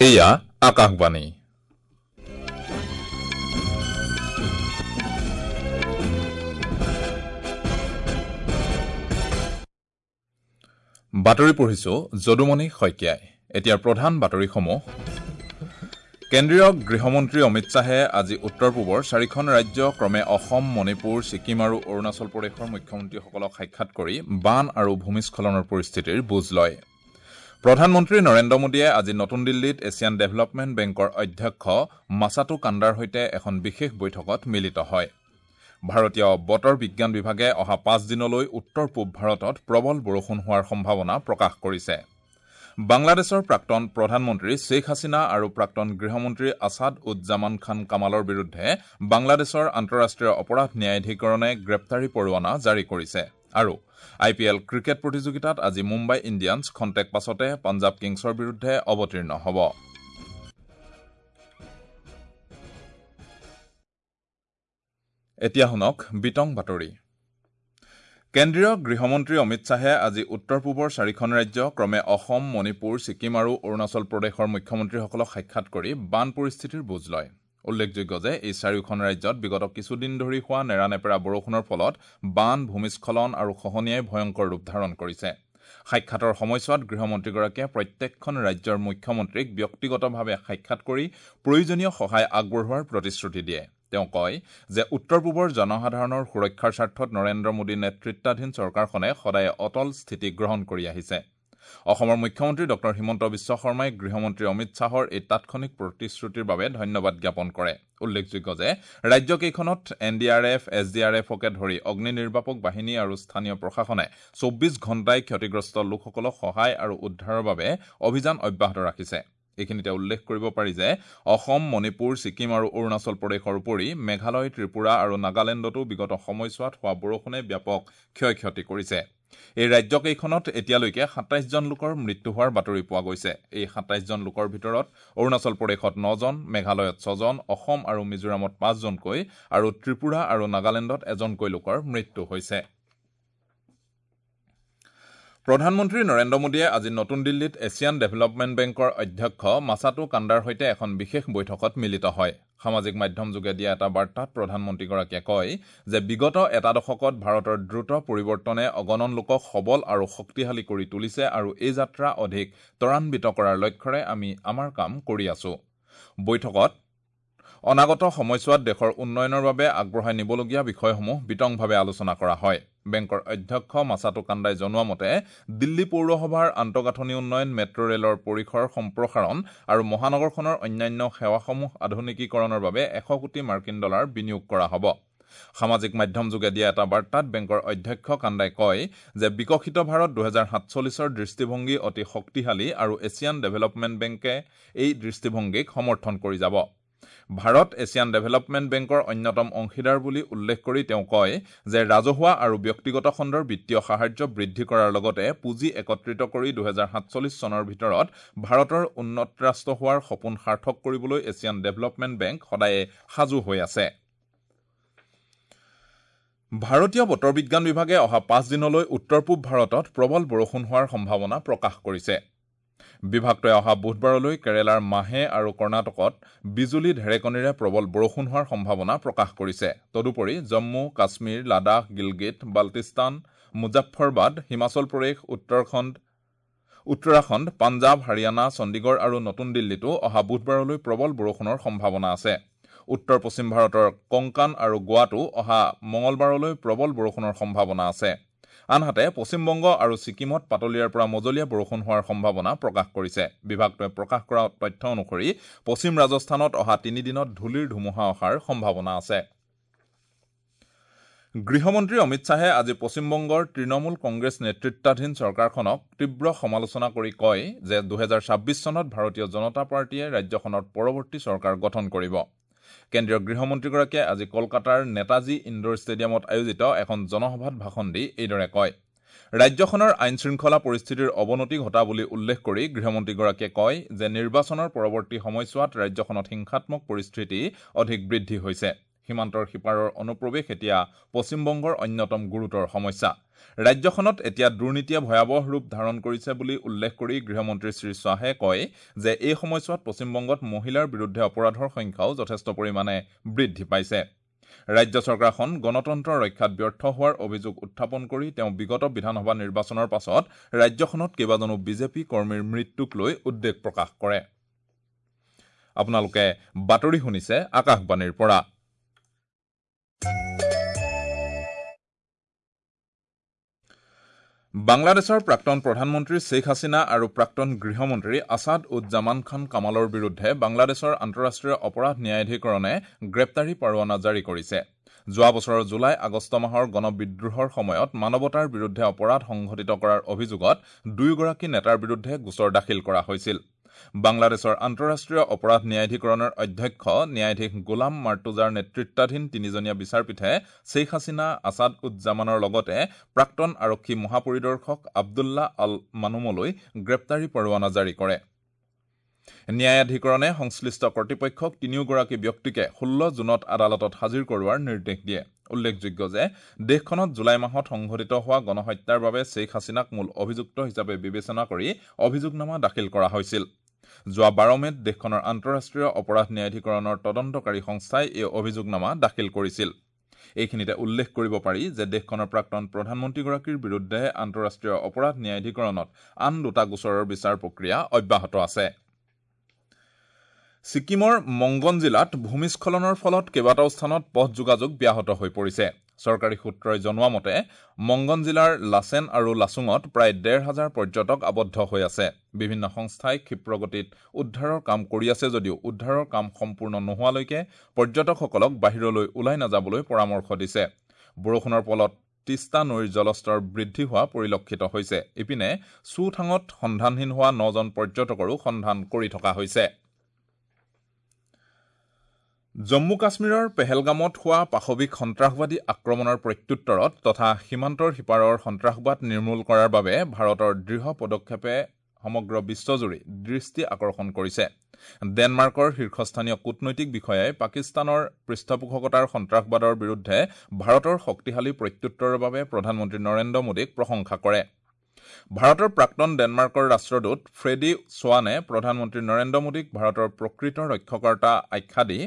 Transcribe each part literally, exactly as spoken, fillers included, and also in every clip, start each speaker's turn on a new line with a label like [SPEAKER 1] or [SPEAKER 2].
[SPEAKER 1] এয়া আকাশবাণী। বাতৰি পঢ়িছো যদুমণি শইকীয়াই। এতিয়াৰ প্ৰধান বাতৰিসমূহ। কেন্দ্ৰীয় গৃহমন্ত্ৰী অমিত শ্বাহে আজি উত্তৰ পূবৰ চাৰিখন ৰাজ্য ক্ৰমে অসম, মণিপুৰ, ছিকিম আৰু অৰুণাচল প্ৰদেশৰ মুখ্যমন্ত্ৰীসকলক সাক্ষাৎ কৰি বান আৰু ভূমিস্খলনৰ পৰিস্থিতিৰ বুজ লয়। প্ৰধানমন্ত্ৰী নৰেন্দ্ৰ মোদীয়ে আজি নতুন দিল্লীত এছিয়ান ডেভেলপমেণ্ট বেংকৰ অধ্যক্ষ মাছাটো কাণ্ডাৰ সৈতে এখন বিশেষ বৈঠকত মিলিত হয়। ভাৰতীয় বতৰ বিজ্ঞান বিভাগে অহা পাঁচ দিনলৈ উত্তৰ পূব ভাৰতত প্ৰবল বৰষুণ হোৱাৰ সম্ভাৱনা প্ৰকাশ কৰিছে। বাংলাদেশৰ প্ৰাক্তন প্ৰধানমন্ত্ৰী শ্বেখ হাছিনা আৰু প্ৰাক্তন গৃহমন্ত্ৰী আছাদ উজ জামান খান কামালৰ বিৰুদ্ধে বাংলাদেশৰ আন্তঃৰাষ্ট্ৰীয় অপৰাধ ন্যায়াধিকৰণে গ্ৰেপ্তাৰী পৰোৱানা জাৰি কৰিছে। আৰু আই পি এল ক্ৰিকেট প্ৰতিযোগিতাত আজি মুম্বাই ইণ্ডিয়ানছ খন্তেক পাছতে পাঞ্জাৱ কিংছৰ বিৰুদ্ধে অৱতীৰ্ণ হ'ব। এতিয়া শুনক বিতং বাতৰি। কেন্দ্ৰীয় গৃহমন্ত্ৰী অমিত শ্বাহে আজি উত্তৰ পূবৰ চাৰিখন ৰাজ্য ক্ৰমে অসম, মণিপুৰ, ছিকিম আৰু অৰুণাচল প্ৰদেশৰ মুখ্যমন্ত্ৰীসকলক সাক্ষাৎ কৰি বান পৰিস্থিতিৰ বুজ লয়। উল্লেখযোগ্য যে এই চাৰিওখন ৰাজ্যত বিগত কিছুদিন ধৰি হোৱা নেৰানেপেৰা বৰষুণৰ ফলত বান, ভূমিস্খলন আৰু খহনীয়াই ভয়ংকৰ ৰূপ ধাৰণ কৰিছে। সাক্ষাতৰ সময়ছোৱাত গৃহমন্ত্ৰীগৰাকীয়ে প্ৰত্যেকখন ৰাজ্যৰ মুখ্যমন্ত্ৰীক ব্যক্তিগতভাৱে সাক্ষাৎ কৰি প্ৰয়োজনীয় সহায় আগবঢ়োৱাৰ প্ৰতিশ্ৰুতি দিয়ে। তেওঁ কয় যে উত্তৰ পূবৰ জনসাধাৰণৰ সুৰক্ষাৰ স্বাৰ্থত নৰেন্দ্ৰ মোদী নেতৃত্বাধীন চৰকাৰখনে সদায় অটল স্থিতি গ্ৰহণ কৰি আহিছে। অসমৰ মুখ্যমন্ত্ৰী ডক্টৰ হিমন্ত বিশ্ব শৰ্মাই গৃহমন্ত্ৰী অমিত শ্বাহৰ এই তাৎক্ষণিক প্ৰতিশ্ৰুতিৰ বাবে ধন্যবাদ জ্ঞাপন কৰে। উল্লেখযোগ্য যে ৰাজ্যকেইখনত N D R F, S D R এফকে ধৰি অগ্নি নিৰ্বাপক বাহিনী আৰু স্থানীয় প্ৰশাসনে চৌব্বিছ ঘণ্টাই ক্ষতিগ্ৰস্ত লোকসকলক সহায় আৰু উদ্ধাৰৰ বাবে অভিযান অব্যাহত ৰাখিছে। এইখিনিতে উল্লেখ কৰিব পাৰি যে অসম, মণিপুৰ, ছিকিম আৰু অৰুণাচল প্ৰদেশৰ উপৰি মেঘালয়, ত্ৰিপুৰা আৰু নাগালেণ্ডতো বিগত সময়ছোৱাত হোৱা বৰষুণে ব্যাপক ক্ষয় ক্ষতি কৰিছে। এই ৰাজ্যকেইখনত এতিয়ালৈকে সাতাইছজন লোকৰ মৃত্যু হোৱাৰ বাতৰি পোৱা গৈছে। এই সাতাইছজন লোকৰ ভিতৰত অৰুণাচল প্ৰদেশত নজন, মেঘালয়ত ছজন, অসম আৰু মিজোৰামত পাঁচজনকৈ আৰু ত্ৰিপুৰা আৰু নাগালেণ্ডত এজনকৈ লোকৰ মৃত্যু হৈছে। প্ৰধানমন্ত্ৰী নৰেন্দ্ৰ মোদীয়ে আজি নতুন দিল্লীত এছিয়ান ডেভেলপমেণ্ট বেংকৰ অধ্যক্ষ মাছাটো কাণ্ডাৰ সৈতে এখন বিশেষ বৈঠকত মিলিত হয়। সামাজিক মাধ্যমযোগে দিয়া এটা বাৰ্তাত প্ৰধানমন্ত্ৰীগৰাকীয়ে কয় যে বিগত এটা দশকত ভাৰতৰ দ্ৰুত পৰিৱৰ্তনে অগণন লোকক সবল আৰু শক্তিশালী কৰি তুলিছে আৰু এই যাত্ৰা অধিক ত্বৰান্বিত কৰাৰ লক্ষ্যৰে আমি আমাৰ কাম কৰি আছো। বৈঠকত অনাগত সময়ছোৱাত দেশৰ উন্নয়নৰ বাবে আগবঢ়াই নিবলগীয়া বিষয়সমূহ বিতংভাৱে আলোচনা কৰা হয়। বেংকৰ অধ্যক্ষ মাছাটো কাণ্ডাই জনোৱা মতে দিল্লী পৌৰসভাৰ আন্তঃগাঁথনি উন্নয়ন, মেট্ৰ' ৰেলৰ পৰিসৰ সম্প্ৰসাৰণ আৰু মহানগৰখনৰ অন্যান্য সেৱাসমূহ আধুনিকীকৰণৰ বাবে এশ কোটি মাৰ্কিন ডলাৰ বিনিয়োগ কৰা হ'ব। সামাজিক মাধ্যমযোগে দিয়া এটা বাৰ্তাত বেংকৰ অধ্যক্ষ কাণ্ডাই কয় যে বিকশিত ভাৰত দুহেজাৰ সাতচল্লিছৰ দৃষ্টিভংগী অতি শক্তিশালী আৰু এছিয়ান ডেভেলপমেণ্ট বেংকে এই দৃষ্টিভংগীক সমৰ্থন কৰি যাব। ভাৰত এছিয়ান ডেভেলপমেণ্ট বেংকৰ অন্যতম অংশীদাৰ বুলি উল্লেখ কৰি তেওঁ কয় যে ৰাজহুৱা আৰু ব্যক্তিগত খণ্ডৰ বিত্তীয় সাহায্য বৃদ্ধি কৰাৰ লগতে পুঁজি একত্ৰিত কৰি দুহেজাৰ সাতচল্লিছ চনৰ ভিতৰত ভাৰতৰ উন্নত ৰাষ্ট্ৰ হোৱাৰ সপোন সাৰ্থক কৰিবলৈ এছিয়ান ডেভেলপমেণ্ট বেংক সদায়ে সাজু হৈ আছে। ভাৰতীয় বতৰ বিজ্ঞান বিভাগে অহা পাঁচ দিনলৈ উত্তৰ পূব ভাৰতত প্ৰবল বৰষুণ হোৱাৰ সম্ভাৱনা প্ৰকাশ কৰিছে। বিভাগটোৱে অহা বুধবাৰলৈ কেৰালাৰ মাহে আৰু কৰ্ণাটকত বিজুলী ঢেৰেকনিৰে প্ৰবল বৰষুণ হোৱাৰ সম্ভাৱনা প্ৰকাশ কৰিছে। তদুপৰি জম্মু, কাশ্মীৰ, লাডাখ, গিলগিট, বাল্টিস্তান, মুজাফ্ফৰবাদ, হিমাচল প্ৰদেশ, উত্তৰাখণ্ড, উত্তৰাখণ্ড, পাঞ্জাৱ, হাৰিয়ানা, চণ্ডীগড় আৰু নতুন দিল্লীতো অহা বুধবাৰলৈ প্ৰবল বৰষুণৰ সম্ভাৱনা আছে। উত্তৰ পশ্চিম ভাৰতৰ কংকান আৰু গোৱাতো অহা মঙলবাৰলৈ প্ৰবল বৰষুণৰ সম্ভাৱনা আছে। আনহাতে পশ্চিমবংগ আৰু ছিকিমত পাতলীয়াৰ পৰা মজলীয়া বৰষুণ হোৱাৰ সম্ভাৱনা প্ৰকাশ কৰিছে। বিভাগটোৱে প্ৰকাশ কৰা তথ্য অনুসৰি পশ্চিম ৰাজস্থানত অহা তিনিদিনত ধূলিৰ ধুমুহা অহাৰ সম্ভাৱনা আছে। গৃহমন্ত্ৰী অমিত শ্বাহে আজি পশ্চিমবংগৰ তৃণমূল কংগ্ৰেছ নেতৃত্বাধীন চৰকাৰখনক তীব্ৰ সমালোচনা কৰি কয় যে দুহেজাৰ ছাব্বিছ চনত ভাৰতীয় জনতা পাৰ্টীয়ে ৰাজ্যখনত পৰৱৰ্তী চৰকাৰ গঠন কৰিব। কেন্দ্ৰীয় গৃহমন্ত্ৰীগৰাকীয়ে আজি কলকাতাৰ নেতাজী ইণ্ডোৰ ষ্টেডিয়ামত আয়োজিত এখন জনসভাত ভাষণ দি এইদৰে কয়। ৰাজ্যখনৰ আইন শৃংখলা পৰিস্থিতিৰ অৱনতি ঘটা বুলি উল্লেখ কৰি গৃহমন্ত্ৰীগৰাকীয়ে কয় যে নিৰ্বাচনৰ পৰৱৰ্তী সময়ছোৱাত ৰাজ্যখনত হিংসাত্মক পৰিস্থিতি অধিক বৃদ্ধি হৈছে। সীমান্তৰ সিপাৰৰ অনুপ্ৰৱেশ এতিয়া পশ্চিমবংগৰ অন্যতম গুৰুতৰ সমস্যা। ৰাজ্যখনত এতিয়া দুৰ্নীতিয়ে ভয়াৱহ ৰূপ ধাৰণ কৰিছে বুলি উল্লেখ কৰি গৃহমন্ত্ৰী শ্ৰীশ্বাহে কয় যে এই সময়ছোৱাত পশ্চিমবংগত মহিলাৰ বিৰুদ্ধে অপৰাধৰ সংখ্যাও যথেষ্ট পৰিমাণে বৃদ্ধি পাইছে। ৰাজ্য চৰকাৰখন গণতন্ত্ৰ ৰক্ষাত ব্যৰ্থ হোৱাৰ অভিযোগ উত্থাপন কৰি তেওঁ বিগত বিধানসভা নিৰ্বাচনৰ পাছত ৰাজ্যখনত কেইবাজনো বিজেপি কৰ্মীৰ মৃত্যুক লৈ উদ্বেগ প্ৰকাশ কৰে। আপোনালোকে বাতৰি শুনিছে আকাশবাণীৰ পৰা। বাংলাদেশৰ প্ৰাক্তন প্ৰধানমন্ত্ৰী শ্বেখ হাছিনা আৰু প্ৰাক্তন গৃহমন্ত্ৰী আছাদ উদ জামান খান কামালৰ বিৰুদ্ধে বাংলাদেশৰ আন্তঃৰাষ্ট্ৰীয় অপৰাধ ন্যায়াধিকৰণে গ্ৰেপ্তাৰী পৰোৱানা জাৰি কৰিছে। যোৱা বছৰৰ জুলাই আগষ্ট মাহৰ গণবিদ্ৰোহৰ সময়ত মানৱতাৰ বিৰুদ্ধে অপৰাধ সংঘটিত কৰাৰ অভিযোগত দুয়োগৰাকী নেতাৰ বিৰুদ্ধে গোচৰ দাখিল কৰা হৈছিল। বাংলাদেশৰ আন্তঃৰাষ্ট্ৰীয় অপৰাধ ন্যায়াধিকৰণৰ অধ্যক্ষ ন্যায়াধীশ গোলাম মাৰ্তুজাৰ নেতৃত্বাধীন তিনিজনীয়া বিচাৰপীঠে শ্বেখ হাছিনা, আছাদ উদ জামানৰ লগতে প্ৰাক্তন আৰক্ষী মহাপৰিদৰ্শক আব্দুল্লাহ আল মানুমলৈ গ্ৰেপ্তাৰী পৰোৱানা জাৰি কৰে। ন্যায়াধিকৰণে সংশ্লিষ্ট কৰ্তৃপক্ষক তিনিওগৰাকী ব্যক্তিকে ষোল্ল জুনত আদালতত হাজিৰ কৰোৱাৰ নিৰ্দেশ দিয়ে। উল্লেখযোগ্য যে দেশখনত জুলাই মাহত সংঘটিত হোৱা গণহত্যাৰ বাবে শ্বেখ হাছিনাক মূল অভিযুক্ত হিচাপে বিবেচনা কৰি অভিযোগনামা দাখিল কৰা হৈছিল। যোৱা বাৰ মে'ত দেশখনৰ আন্তঃৰাষ্ট্ৰীয় অপৰাধ ন্যায়াধিকৰণৰ তদন্তকাৰী সংস্থাই এই অভিযোগনামা দাখিল কৰিছিল। এইখিনিতে উল্লেখ কৰিব পাৰি যে দেশখনৰ প্ৰাক্তন প্ৰধানমন্ত্ৰীগৰাকীৰ বিৰুদ্ধে আন্তঃৰাষ্ট্ৰীয় অপৰাধ ন্যায়াধিকৰণত আন দুটা গোচৰৰ বিচাৰ প্ৰক্ৰিয়া অব্যাহত আছে। ছিকিমৰ মংগন জিলাত ভূমিস্খলনৰ ফলত কেইবাটাও স্থানত পথ যোগাযোগ ব্যাহত হৈ পৰিছে। চৰকাৰী সূত্ৰই জনোৱা মতে মংগন জিলাৰ লাচেন আৰু লাচুঙত প্ৰায় ডেৰ হাজাৰ পৰ্যটক আবদ্ধ হৈ আছে। বিভিন্ন সংস্থাই ক্ষিপ্ৰগতিত উদ্ধাৰৰ কাম কৰি আছে যদিও উদ্ধাৰৰ কাম সম্পূৰ্ণ নোহোৱালৈকে পৰ্যটকসকলক বাহিৰলৈ ওলাই নাযাবলৈ পৰামৰ্শ দিছে। বৰষুণৰ ফলত তিষ্টা নৈৰ জলস্তৰ বৃদ্ধি হোৱা পৰিলক্ষিত হৈছে। ইপিনে চুথাঙত সন্ধানহীন হোৱা নজন পৰ্যটকৰো সন্ধান কৰি থকা হৈছে। জম্মু কাশ্মীৰৰ পেহেলগামত হোৱা পাশৱিক সন্ত্ৰাসবাদী আক্ৰমণৰ প্ৰত্যুত্তৰত তথা সীমান্তৰ সিপাৰৰ সন্ত্ৰাসবাদ নিৰ্মূল কৰাৰ বাবে ভাৰতৰ দৃঢ় পদক্ষেপে সমগ্ৰ বিশ্বজুৰি দৃষ্টি আকৰ্ষণ কৰিছে। ডেনমাৰ্কৰ শীৰ্ষস্থানীয় কূটনৈতিক বিষয়াই পাকিস্তানৰ পৃষ্ঠপোষকতাৰ সন্ত্ৰাসবাদৰ বিৰুদ্ধে ভাৰতৰ শক্তিশালী প্ৰত্যুত্তৰৰ বাবে প্ৰধানমন্ত্ৰী নৰেন্দ্ৰ মোদীক প্ৰশংসা কৰে। ভাৰতৰ প্ৰাক্তন ডেনমাৰ্কৰ ৰাষ্ট্ৰদূত ফ্ৰেডি সোৱানে প্ৰধানমন্ত্ৰী নৰেন্দ্ৰ মোদীক ভাৰতৰ প্ৰকৃত ৰক্ষকৰ্তা আখ্যা দি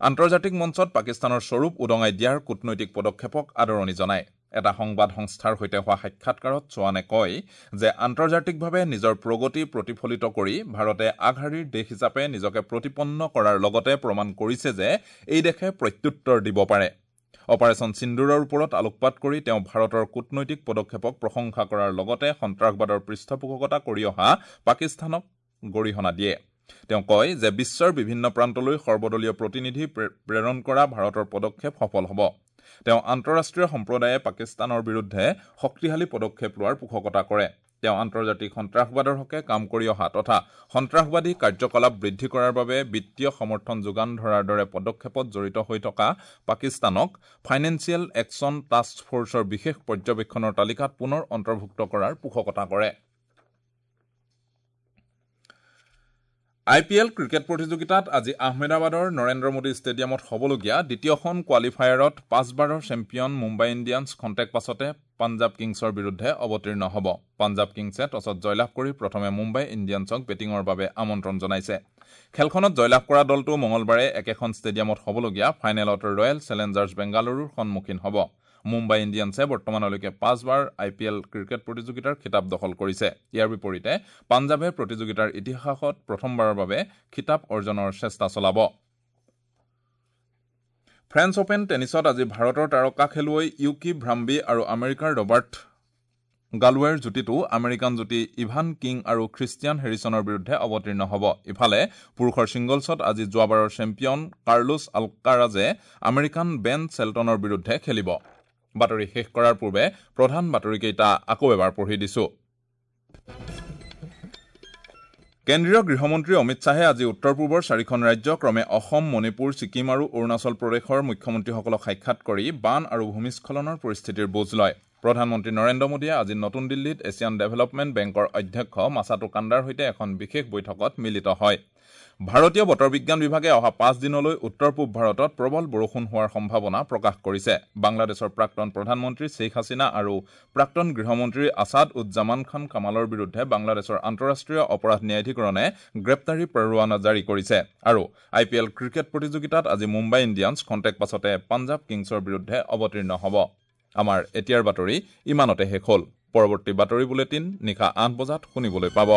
[SPEAKER 1] আন্তৰ্জাতিক মঞ্চত পাকিস্তানৰ স্বৰূপ উদঙাই দিয়াৰ কূটনৈতিক পদক্ষেপক আদৰণি জনায়। এটা সংবাদ সংস্থাৰ সৈতে হোৱা সাক্ষাৎকাৰত সোৱানে কয় যে আন্তৰ্জাতিকভাৱে নিজৰ প্ৰগতি প্ৰতিফলিত কৰি ভাৰতে আগশাৰীৰ দেশ হিচাপে নিজকে প্ৰতিপন্ন কৰাৰ লগতে প্ৰমাণ কৰিছে যে এই দেশে প্ৰত্যুত্তৰ দিব পাৰে। অপাৰেশ্যন সিন্দুৰৰ ওপৰত আলোকপাত কৰি তেওঁ ভাৰতৰ কূটনৈতিক পদক্ষেপক প্ৰশংসা কৰাৰ লগতে সন্ত্ৰাসবাদৰ পৃষ্ঠপোষকতা কৰি অহা পাকিস্তানক গৰিহণা দিয়ে। তেওঁ কয় যে বিশ্বৰ বিভিন্ন প্ৰান্তলৈ সৰ্বদলীয় প্ৰতিনিধি প্ৰেৰণ কৰা ভাৰতৰ পদক্ষেপ সফল হ'ব। তেওঁ আন্তঃৰাষ্ট্ৰীয় সম্প্ৰদায়ে পাকিস্তানৰ বিৰুদ্ধে শক্তিশালী পদক্ষেপ লোৱাৰ পোষকতা কৰে। তেওঁ আন্তৰ্জাতিক সন্ত্ৰাসবাদৰ হকে কাম কৰি অহা তথা সন্ত্ৰাসবাদী কাৰ্যকলাপ বৃদ্ধি কৰাৰ বাবে বিত্তীয় সমৰ্থন যোগান ধৰাৰ দৰে পদক্ষেপত জড়িত হৈ থকা পাকিস্তানক ফাইনেন্সিয়েল একশ্যন টাস্ক ফ'ৰ্চৰ বিশেষ পৰ্যবেক্ষণৰ তালিকাত পুনৰ অন্তৰ্ভুক্ত কৰাৰ পোষকতা কৰে। আই পি এল ক্ৰিকেট প্ৰতিযোগিতাত আজি আহমেদাবাদৰ নৰেন্দ্ৰ মোদী ষ্টেডিয়ামত হ'বলগীয়া দ্বিতীয়খন কোৱালিফায়াৰত পাঁচবাৰৰ চেম্পিয়ন মুম্বাই ইণ্ডিয়ানছ খন্তেক পাছতে পাঞ্জাৱ কিংছৰ বিৰুদ্ধে অৱতীৰ্ণ হ'ব। পাঞ্জাৱ কিংছে টছত জয়লাভ কৰি প্ৰথমে মুম্বাই ইণ্ডিয়ানছক বেটিঙৰ বাবে আমন্ত্ৰণ জনাইছে। খেলখনত জয়লাভ কৰা দলটো মঙলবাৰে একেখন ষ্টেডিয়ামত হ'বলগীয়া ফাইনেলত ৰয়েল চেলেঞ্জাৰ্ছ বেংগালুৰুৰ সন্মুখীন হ'ব। মুম্বাই ইণ্ডিয়ানছে বৰ্তমানলৈকে পাঁচবাৰ আই পি এল ক্ৰিকেট প্ৰতিযোগিতাৰ খিতাপ দখল কৰিছে। ইয়াৰ বিপৰীতে পাঞ্জাৱে প্ৰতিযোগিতাৰ ইতিহাসত প্ৰথমবাৰৰ বাবে খিতাপ অৰ্জনৰ চেষ্টা চলাব। ফ্ৰেঞ্চ অপেন টেনিছত আজি ভাৰতৰ তাৰকা খেলুৱৈ ইউকি ভ্ৰাম্বি আৰু আমেৰিকাৰ ৰবাৰ্ট গালৱেৰ যুটিটো আমেৰিকান যুটি ইভান কিং আৰু খ্ৰীষ্টিয়ান হেৰিছনৰ বিৰুদ্ধে অৱতীৰ্ণ হ'ব। ইফালে পুৰুষৰ ছিংগলছত আজি যোৱাবাৰৰ চেম্পিয়ন কাৰ্লোছ আলকাৰাজে আমেৰিকান বেন চেল্টনৰ বিৰুদ্ধে খেলিব। বাতৰি শেষ কৰাৰ পূৰ্বে প্ৰধান বাতৰিকেইটা আকৌ এবাৰ পঢ়ি দিছো। কেন্দ্ৰীয় গৃহমন্ত্ৰী অমিত শ্বাহে আজি উত্তৰ পূবৰ চাৰিখন ৰাজ্য ক্ৰমে অসম, মণিপুৰ, ছিকিম আৰু অৰুণাচল প্ৰদেশৰ মুখ্যমন্ত্ৰীসকলক সাক্ষাৎ কৰি বান আৰু ভূমিস্খলনৰ পৰিস্থিতিৰ বুজ লয়। প্ৰধানমন্ত্ৰী নৰেন্দ্ৰ মোদীয়ে আজি নতুন দিল্লীত এছিয়ান ডেভেলপমেণ্ট বেংকৰ অধ্যক্ষ মাছাটো কাণ্ডাৰ সৈতে এখন বিশেষ বৈঠকত মিলিত হয়। ভাৰতীয় বতৰ বিজ্ঞান বিভাগে অহা পাঁচ দিনলৈ উত্তৰ পূব ভাৰতত প্ৰবল বৰষুণ হোৱাৰ সম্ভাৱনা প্ৰকাশ কৰিছে। বাংলাদেশৰ প্ৰাক্তন প্ৰধানমন্ত্ৰী শ্বেইখ হাছিনা আৰু প্ৰাক্তন গৃহমন্ত্ৰী আছাদ উজ্জামান খান কামালৰ বিৰুদ্ধে বাংলাদেশৰ আন্তঃৰাষ্ট্ৰীয় অপৰাধ ন্যায়াধীকৰণে গ্ৰেপ্তাৰী পৰোৱানা জাৰি কৰিছে। আৰু আই পি এল ক্ৰিকেট প্ৰতিযোগিতাত আজি মুম্বাই ইণ্ডিয়ানছ খন্তেক পাছতে পাঞ্জাৱ কিংছৰ বিৰুদ্ধে অৱতীৰ্ণ হ'ব। আমাৰ এতিয়াৰ বাতৰি ইমানতে শেষ হ'ল। পৰৱৰ্তী বাতৰি বুলেটিন নিশা আঠ বজাত শুনিবলৈ পাব।